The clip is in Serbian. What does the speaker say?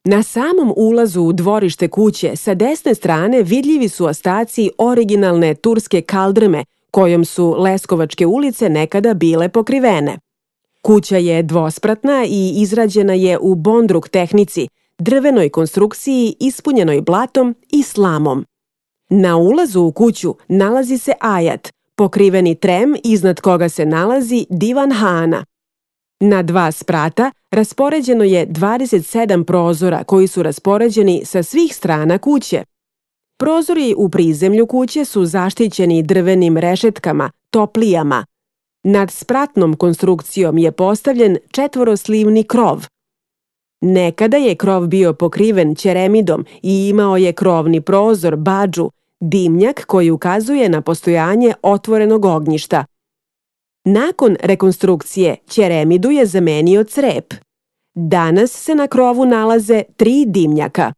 Na samom ulazu u dvorište kuće sa desne strane vidljivi su ostaci originalne turske kaldrme kojom su Leskovačke ulice nekada bile pokrivene. Kuća je dvospratna i izrađena je u bondruk tehnici, drvenoj konstrukciji ispunjenoj blatom i slamom. Na ulazu u kuću nalazi se ajat, pokriveni trem iznad koga se nalazi divan hana. Na 2 sprata raspoređeno je 27 prozora koji su raspoređeni sa svih strana kuće. Prozori u prizemlju kuće su zaštićeni drvenim rešetkama, toplijama. Nad spratnom konstrukcijom je postavljen četvoroslivni krov. Nekada je krov bio pokriven ćeremidom i imao je krovni prozor, badžu, dimnjak koji ukazuje na postojanje otvorenog ognjišta. Nakon rekonstrukcije ćeremidu je zamenio crep. Danas se na krovu nalaze 3 dimnjaka.